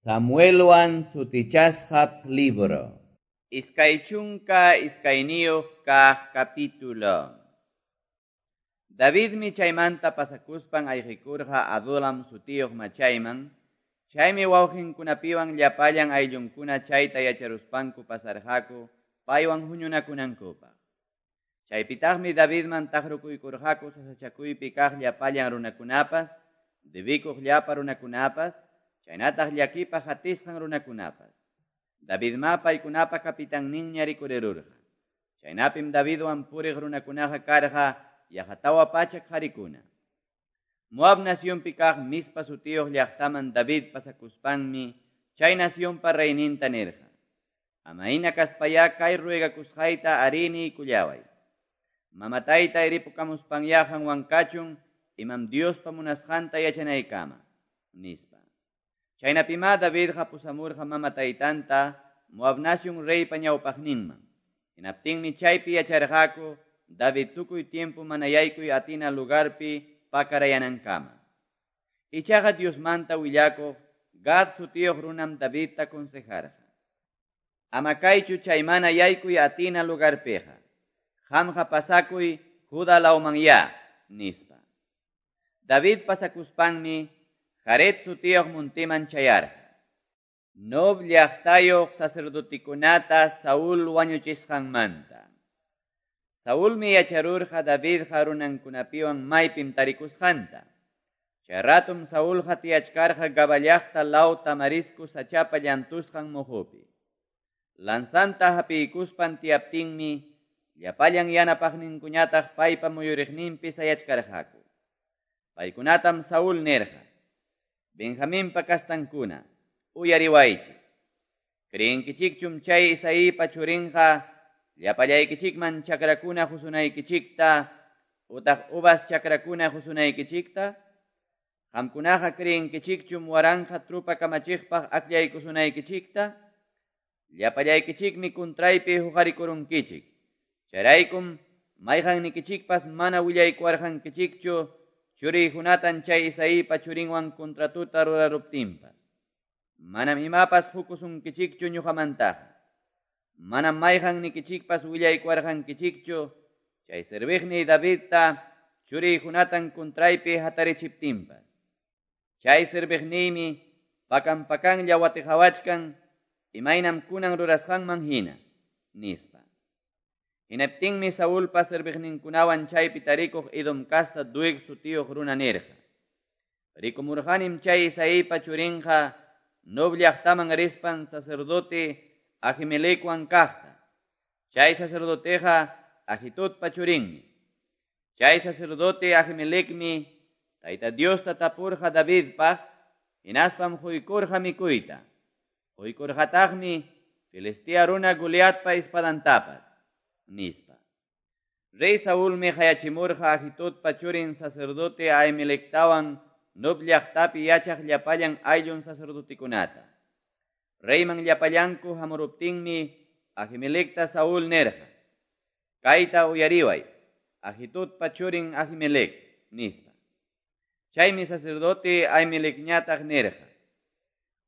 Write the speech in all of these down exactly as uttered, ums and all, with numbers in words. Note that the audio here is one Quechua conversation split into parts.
Samuelwan sutichasqa libro. Iskay chunka iskayniyuq kaq capítulo. Davidmi chaymanta pasakuspan ayqikurqa Adulam sutiyuq machayman, chaymi wawqinkunapiwan llapallan ayllunkuna chayta yacharuspanku pasarqaku paywan huñunakunankupaq. Chaypitaqmi Davidman taqrukuykurqaku sasachakuypi kaq llapallan runakunapas, debikuq llapa runakunapas, chaynataq llakipaq hatisqan runakunapas. Davidma paykunapa kapitanninña rikurirurqa. Chaynapim Davidwan puriq runakunaqa karqa yaqa tawa pachak qarikuna. Moab nacionpi kaq Mispa sutiyuq llaqtaman David pasakuspanmi chay nacionpa reyninta nirqa: Amayna kaspayá kay ruegakusqayta arini kullaway. Mamatayta iripukamuspanyá qanwan kachun imam Diospa munasqanta yachanaykama, nispa. Chaynapimá Davidqa pusamurqa mama taytanta Moab nacion reypa ñawpaqninman. Hinaptinmi chaypi yacharqaku David tukuy tiempo mana yaykuy atina lugarpi pakarayanankama. Ichaqa Diosmanta willakuq Gad sutiyuq runam Davidta consejarqa: Ama kaychu chay mana yaykuy atina lugarpiqa. Qamqa pasakuy Juda lawmanyá, nispa. David pasakuspanmi Jaret sutiyuq muntiman chayarqa. Nob llaqtayuq sacerdotikunata Saúl wañuchisqanmanta. Saúlmi yacharurqa Davidqa runankunapiwan maypim tarikusqanta. Chay ratum Saúlqa tiyachkarqa Gaba llaqta law tamarisco sachapa llantusqan muhupi. Lanzanta hapiykuspan tiyaptinmi llapallan yanapaqninkuñataq paypa muyuriqninpi sayachkarqaku. Paykunatam Saúl nirqa: Benjaminpa kastankuna, uyariwaychik. Creenkichikchum chay Isaípa churinqa llapallaykichikman chakrakuna husunaykichikta utaq uvas chakrakuna husunaykichikta? Qamkunaqa creenkichikchum waranqa trupa kamachiqpaq akllaykusunaykichikta? Llapallaykichikmi kuntraypi huqarikurunkichik. Chayraykum mayqannikichikpas mana willaykuwarqankichikchu churiy Jonathan chay Isaípa churinwan contratuta ruraruptinpas. Manam imapas hukusunkichikchu ñuqamantaqa. Manam mayqannikichikpas willaykuwarqankichikchu chay serviqniy Davidta churiy Jonathan kuntraypi hatarichiptinpas. Chay serviqniymi pakan pakanlla watiqawachkan imaynam kunan rurasqanman hina, nispa. Hinaptinmi Saúlpa serviqninkunawan chaypi tarikuq Edom kasta Doeg sutiyuq runa nirqa: Rikumurqanim chay Isaípa churinqa Nob llaqtaman rispan sacerdote Ahimelecwan kaqta. Chay sacerdoteqa Ahitudpa churinmi. Chay sacerdote Ahimelecmi Tayta Diosta tapurqa Davidpaq, hinaspam huykurqa mikuyta. Huykurqataqmi Filistea runa Goliatpa espadantapas, nispa. Rey Saúlmi qayachimurqa Ahitudpa churin sacerdote Ahimelectawan Nob llaqtapi yachaq llapallan ayllun sacerdotekunata. Reyman llapallanku hamuruptinmi Ahimelecta Saúl nirqa: Kayta uyariway, Ahitudpa churin Ahimelec, nispa. Chaymi sacerdote Ahimelecñataq nirqa: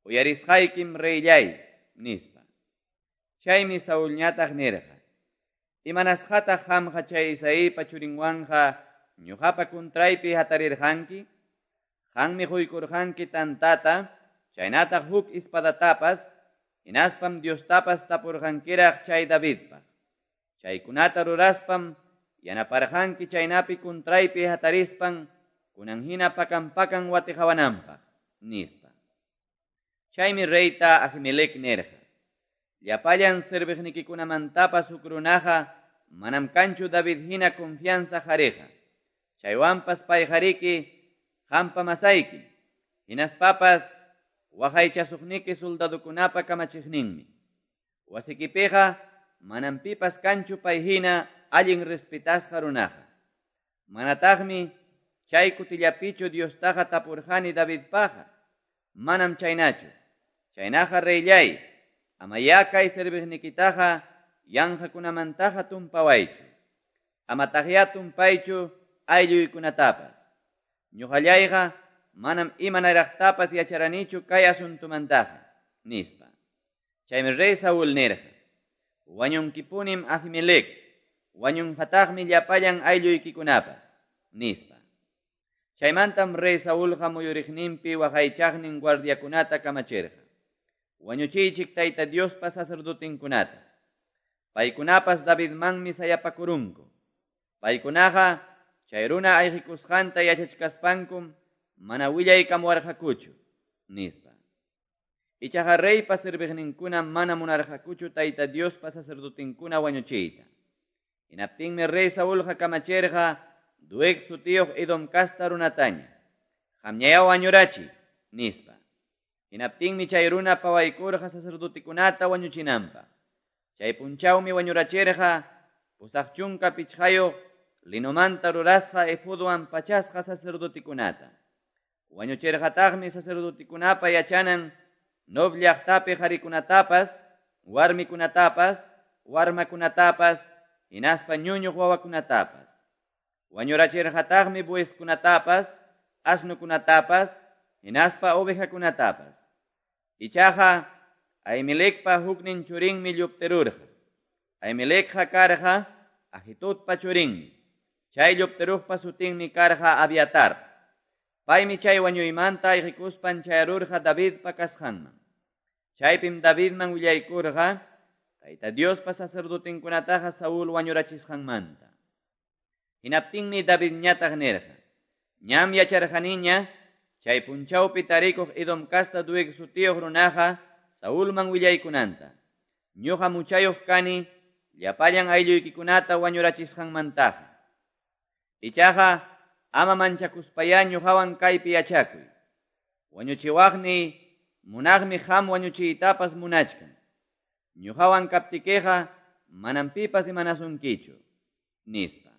Uyarisqaykim reyllay, nispa. Chaymi Saúlñataq nirqa: Imanasqataq qamqa chay Isaípa churinwanqa ñuqapa kuntraypi hatarirqanki? Qanmi huykurqanki tantata, chaynataq huk espadatapas, hinaspam Diostapas tapurqankiraq chay Davidpaq. Chaykunata ruraspam yanaparqanki chaynapi kuntraypi hatarispan kunan hina pakan pakan watiqawananpaq, nispa. Chaymi reyta Ahimelec nirqa: Llapallan serviqnikikunamantapas huk runaqa manam kanchu David hina confianza qariqa. Chaywanpas payqariki qampa masayki, hinaspapas waqaychasuqniki soldadokunapa kamachiqninmi. Wasikipiqa manam pipas kanchu pay hina allin respetasqa runaqa. Manataqmi chay kutillapichu Diostaqa tapurqani Davidpaqa. Manam chaynachu. Chaynaqa reyllay, amayá kay serviqnikitaqa yanqakunamantaqa tumpawaychu. Amataqyá tumpaychu aylluykunatapas. Ñuqallayqa manam imanaraqtapas yacharanichu kay asuntumantaqa. nispa. Chaymi rey Saúl nirqa: Wañunkipunim Ahimelec, wañunqataqmi llapallan aylluykikunapas, nispa. Chaymantam rey Saúlqa muyuriqninpi waqaychaqnin guardiakunata kamachirqa: Wañuchiychik Tayta Diospa sacerdotinkunata. Paykunapas Davidmanmi sayapakurunku. Paykunaqa chay runa ayqikusqanta yachachkaspankum mana willaykamuwarqakuchu, nispa. Ichaqa reypa serviqninkuna mana munarqakuchu Tayta Diospa sacerdotinkuna wañuchiyta. Hinaptinmi rey Saúlqa kamachirqa Doeg sutiyuq Edom casta runataña: Qamñayá wañurachiy, nispa. Hinaptinmi chay runa pawaykurqa sacerdotikunata wañuchinanpaq. Chay punchawmi wañurachirqa pusaq chunka pichqayuq linomanta rurasqa efodwan pachasqa sacerdotikunata. Wañuchirqataqmi sacerdotikunapa yachanan Nob llaqtapi qharikunatapas, warmikunatapas, warmakunatapas, hinaspa ñuñuq wawakunatapas. Wañurachirqataqmi bueskunatapas, asnukunatapas, hinaspa ovejakunatapas. Ichaqa Ahimelecpa huknin churinmi lluptirurqa. Ahimelecqa karqa Ahitudpa churinmi. Chay lluptiruqpa sutinmi karqa Abiatar. Paymi chay wañuymanta ayqikuspan chayarurqa Davidpa kasqanman. Chaypim Davidman willaykurqa Tayta Diospa sacerdotinkunataqa Saúl wañurachisqanmanta. Hinaptinmi Davidñataq nirqa: Ñam yacharqaniña chay punchawpi tarikuq Edom casta Doeg sutiyuq runaqa Saúlman willaykunanta. Ñuqa muchayuq kani llapallan aylluykikunata wañurachisqanmantaqa. Ichaqa ama manchakuspayá ñuqawan kaypi yachakuy. Wañuchiwaqni munaqmi qam wañuchiytapas munachkan. Ñuqawan kaptikiqa manam pipas imanasunkichu, nispa.